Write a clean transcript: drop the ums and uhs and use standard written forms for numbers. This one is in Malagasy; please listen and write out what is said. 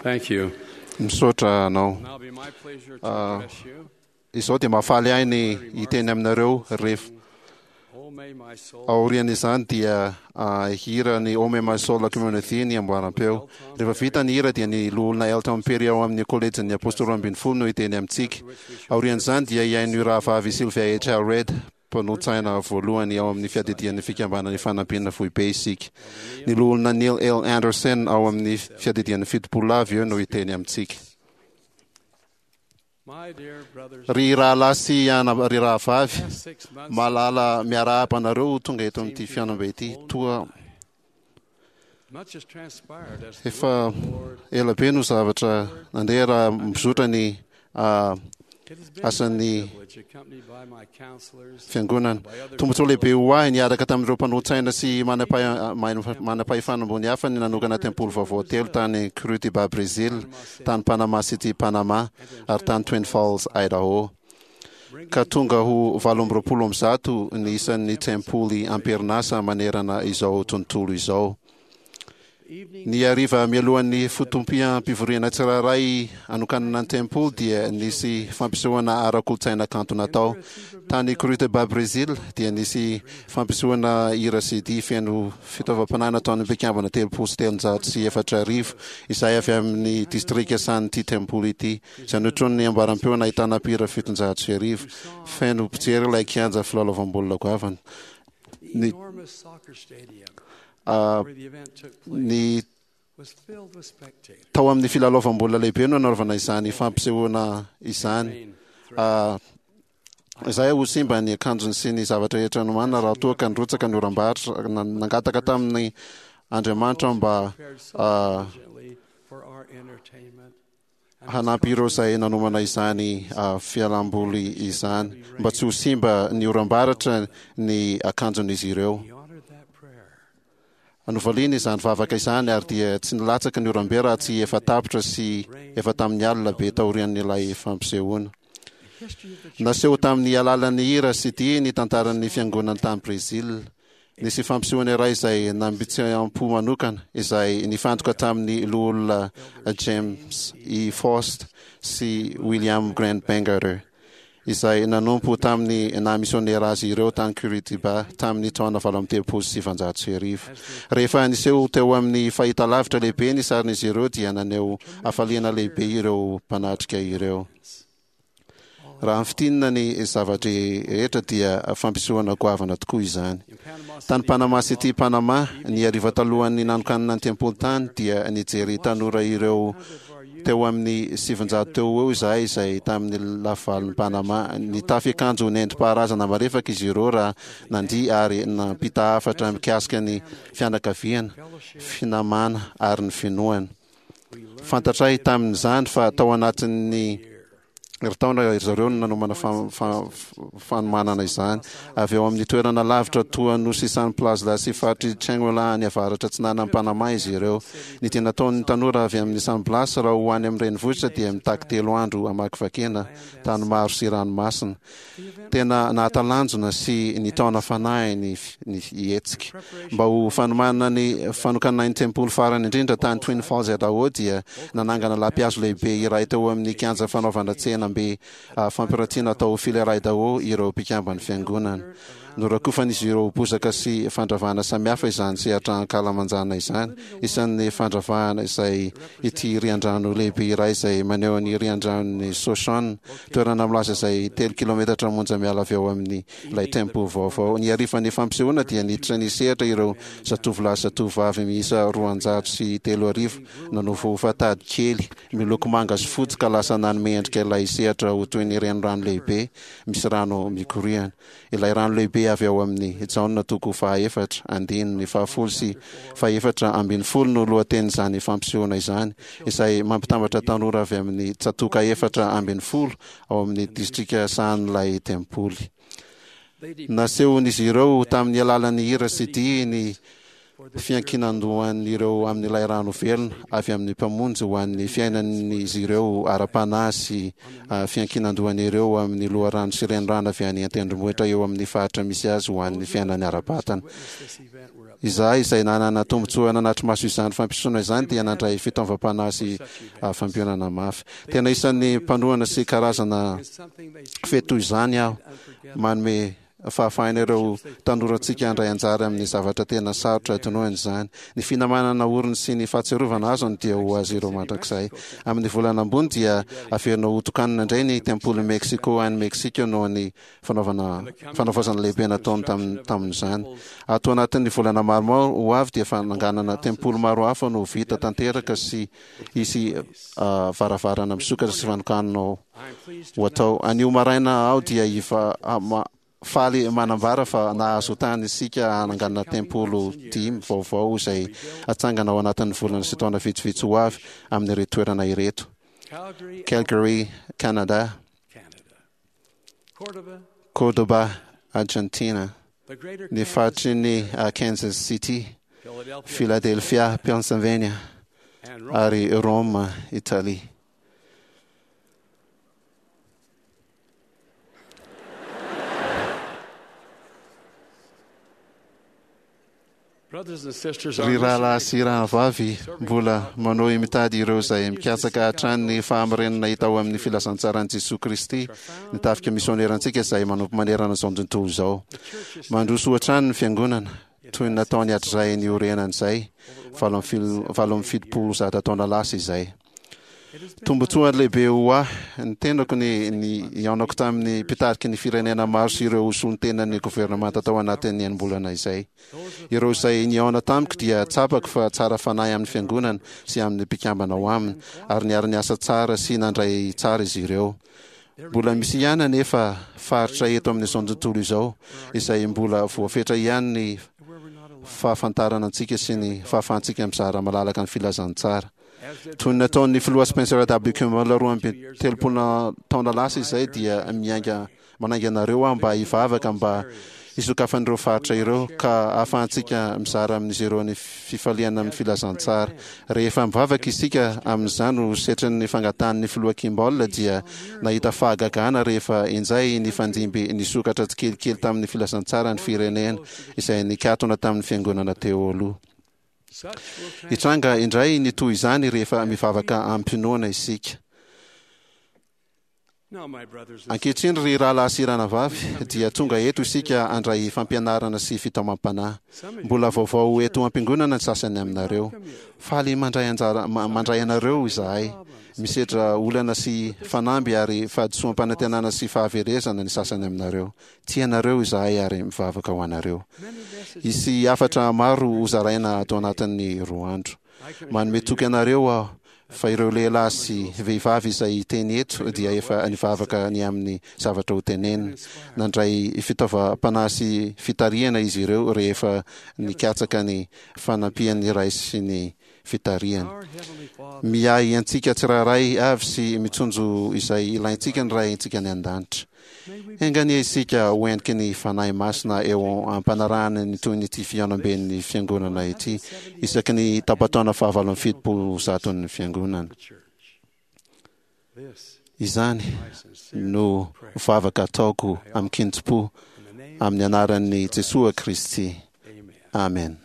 Thank you. Misaotra anao. Now it'll be my pleasure to Ah. address you. Izao dia mahafaly ahy ny hiteny aminareo rehefa Oh, may my soul aorian'izany dia hira ny Oh May My Soul Community ny amboaram-peo. Rehefa vita ny hira dia ny loholona Elton Perry ao amin'ny kolejin'ny Apôstôly 12 no hiteny amintsika. Aorian'izany dia hihaino io rahavavy Sylvia H. Reid, mpanotsaina voalohany ao amin'ny fiadidian'ny fikambanana Ifanampiana Foibe isika. Ny loholona Neil L. Andersen ao amin'ny fiadidian'ny 70 avy eo no hiteny amintsika. My dear brothers, Ry rahalahy sy ry rahavavy, past 6 months malala miarahaba anareo ho tonga eto amin'ity fihaonambe ity. Toa much has transpired as the efa word of the Lord. ela be no zavatra nandeha raha mizotra ny It has been asan'ny my privilege, accompanied by my counselors, fiangonana. by other Tombontsoa lehibe ho ahy niaraka tamin'ireo mpanolo-tsaina sy manam-pahefana ambony hafa ny nanokana tempoly vaovao telo tany Curitiba, Brésil, tany Panama City, Panama, ary tany Twin Falls, Idaho. Ka tonga ho 128 ny isan'ny tempoly am-perinasa manerana izao tontolo izao. evening Ny hariva mialohan'ny fotoam-pivoriana tsirairay anokanana ny tempoly dia nisy fampisehoana ara-kolontsaina kanto natao. Tany Curitiba, Brésil, dia nisy fampisehoana hira sy dihy feno fitaovam-panahy nataon'ny mpikambana 330 izay avy amin'ny distrika sahan'ity tempoly ity. Izay notronin'ny amboaram-peo nahitana mpihira 1107. Feno mpijery ilay kianja filalaovam-baolina goavana. the Ny, enormous soccer stadium where the event took place ny was filled with spectators. tao amin'ny filalaovam-baolina lehibe no nanaovana izany fampisehoana izany. Rain threatened. Izay ho simba ny akanjony sy ny zavatra rehetra nomanina raha toa ka nirotsaka ny oram-baratra. Nangataka tamin'ny Andriamanitra mba Prepared so diligently for our entertainment and hanampy ireo izay nanomana izany fialamboly izany mba tsy ho simba ny oram-baratra ny akanjon'izy ireo. he honored that prayer. Novaliany izany vavaka izany ary dia tsy nilatsaka ny oram-be raha tsy efa tapitra sy efa tamin'ny alina be taorian'ilay fampisehoana. The history of the church Naseho tamin'ny alalan'ny hira sy dihy ny tantaran'ny fiangonana tany Brésil. Nisy fampisehoana iray izay nambitsy-am-po manokana izay nifantoka tamin'ny loholona James E. Faust sy William Grant Bangerter izay nanompo tamin'ny naha misionera azy ireo tany Curitiba tamin'ny taona 1938. Rehefa niseho teo amin'ny fahitalavitra lehibe ny sarin'izy ireo dia naneho hafaliana lehibe ireo mpanatrika ireo. Raha ny fintinina ny zava-drehetra dia fampisehoana goavana tokoa izany. in Panama Tany City, Panama City, Panama, ny hariva talohan'ny nanokanana ny tempoly tany dia nijery tanora ireo teo amin'ny 900 teo ho eo izahay izay tamin'ny lafivalon'i Panama. Nitafy akanjo nentim-paharazana marefaka izy ireo raha nandihy ary nampita hafatra mikasika ny fianakaviana, finamana ary ny finoana. Fantatray tamin'izany fa tao anatin'ny herintaona ry zareo no nanomana fanomanana izany. Avy eo amin'ny toerana lavitra toa Nosy San Plaza sy faritry Chingola any avaratra atsinanan'i Panama izy ireo. Ny dia nataon'ny tanora avy amin'ny San Blas raha ho any amin'ny renivohitra dia mitaky 3 andro hamakivakiana tany maro sy ranomasina. Tena nahatalanjona sy nitaona fanahy ny ny hetsika. Mba ho fanomanana ny fanokanana ny tempoly farany indrindra tany Twin Falls, Idaho dia nanangana lapihazo lehibe iray teo amin'ny kianja fanaovana tsenambe fampiratiana tao Filer, Idaho ireo mpikamban'ny fiangonana. Norakofan'izy ireo bozaka sy fandravahana samihafa izany sehatra ankalamanjana izany. Isan'ny fandravahana izay ity riandrano lehibe iray izay maneho ny riandranon'i Shoshone, toerana milaza izay 3 kilometatra monja miala avy ao amin'ny ilay tempoly vaovao. Ny harivan'ny fampisehoana dia niditra ny sehatra ireo zatovolahy sy zatovovavy miisa 302 nanovaova tady kely miloko manga sy fotsy ka lasa nanome endrika ilay sehatra ho toy ny renirano lehibe misy rano mikoriana. Ilay rano lehibe avy ao amin'ny Jaona toko faha-4 andininy faha-10 sy faha-14 no lohatenin'izany fampisehoana izany, izay mampitambatra tanora avy amin'ny tsatòka 14 ao amin'ny distrika sahanin'ilay tempoly. Nasehon'izy ireo tamin'ny alalan'ny hira sy dihy ny fiankinan-dohan'ireo amin'ilay rano velona avy amin'ny Mpamonjy ho an'ny fiainan'izy ireo ara-panahy sy fiankinan-dohan'ireo amin'ny loharano sy renirano avy any an-tendrombohitra eo amin'ny faritra misy azy ho an'ny fiainany ara-batana. Izahay izay nanana tombontsoa nanatri-maso izany fampisoana izany dia nandray fitaovam-panahy sy fampionana mafy. Tena isan'ny mpanohana sy karazana fety toy izany aho. Manome fahafahana ireo tanorantsika handray anjara amin'ny zavatra tena sarotra adinoina izany. Ny finamanana oriny sy ny fahatsiarovana azony dia ho azy ireo mandrakizay. Amin'ny volana ambony dia averina ho tokanina indray ny tempolin'i Mexico any Mexique noho ny fanaovana fanavaozana lehibe nataony tamin'izany. Ato anatin'ny volana maromaro ho avy dia fananganana tempoly maro hafa no ho vita tanteraka sy hisy varavarana misokatra sy fanokanana ho atao. Anio maraina aho dia faly manambara fa nahazo tany isika hananganana tempolo dimy vaovao izay hatsangana ao anatin'ny volana sy taona vitsivitsy ho avy amin'ireto toerana ireto, Calgary, Canada, Córdoba, Argentina, ny faritry ny Kansas City, Philadelphia, Pennsylvania, ary Rome, Italie. Ry rahalahy sy rahavavy, mbola manohy mitady ireo izay mikatsaka hatrany ny fahamarinana hita ao amin'ny filazantsaran'i Jesoa Kristy ny tafika misionerantsika izay manompo manerana izao tontolo izao. Mandroso hatrany ny Fiangonana, toy ny nataony hatrizay niorenany izay, 178 taona lasa izay. Tombontsoa lehibe ho ahy ny tenako ny nihaonako tamin'ny mpitariky ny firenena maro sy ireo solontenan'ny governemanta tao anatin'ny enim-bolana izay. Ireo izay nihaona tamiko dia tsapako fa tsara fanahy amin'ny fiangonana sy amin'ny mpikambana ao aminy ary niara-niasa tsara sy nandray tsara izy ireo. Mbola misy ihany anefa faritra eto amin'izao tontolo izao izay mbola voafetra ihany ny fahafantarana antsika sy ny fahafahantsika mizara malalaka ny filazantsara. Toy ny nataon'ny Filoha Spencer W. Kimball 32 taona lasa izay dia miainga manainga anareo aho mba hivavaka mba hisokafan'ireo faritra ireo ka hahafahantsika mizara amin'izy ireo ny fifaliana amin'ny filazantsara. Rehefa mivavaka isika amin'izany ho setrin'ny fangatahan'ny Filoha Kimball dia nahita fahagagana rehefa injay nifandimby nisokatra tsikelikely tamin'ny filazantsara ny firenena izay nikatona tamin'ny fiangonana teo aloha. Hitranga indray ny toy izany rehefa mivavaka amim-pinoana isika. Ankehitriny, ry rahalahy sy ranavavy, dia tonga eto isika handray fampianarana sy fitaomam-panahy. Mbola vaovao eto am-piangonana ny sasany aminareo. Faly mandray anjara mandray anareo izahay. Misedra olana sy fanamby ary fahadisoam-panantenana sy fahaverezana ny sasany aminareo. Tia anareo izahay ary mivavaka ho anareo. Hisy hafatra maro hozaraina ato anatin'ny roa andro. Manome toky anareo aho fa ireo lehilahy sy vehivavy izay hiteny eto dia efa nivavaka ny amin'ny zavatra hotenenina. Nandray fitaovam-panahy sy fitarihana izy ireo rehefa nikatsaka ny fanampian'ny Ray sy ny fitarihany. Miahy antsika tsirairay avy sy mitsonjo izay ilaintsika ny Raintsika any An-danitra. Enga anie isika ho heniky ny Fanahy Masina eo am-panarahana ny tohin'ity fihaonamben'ny Fiangonana ity isaky ny tapa-taona fahavalo amby 170n'ny Fiangonana. Izany no vavaka ataoko amin-kintim-po amin'ny anaran'i Jesoa Kristy. Amen.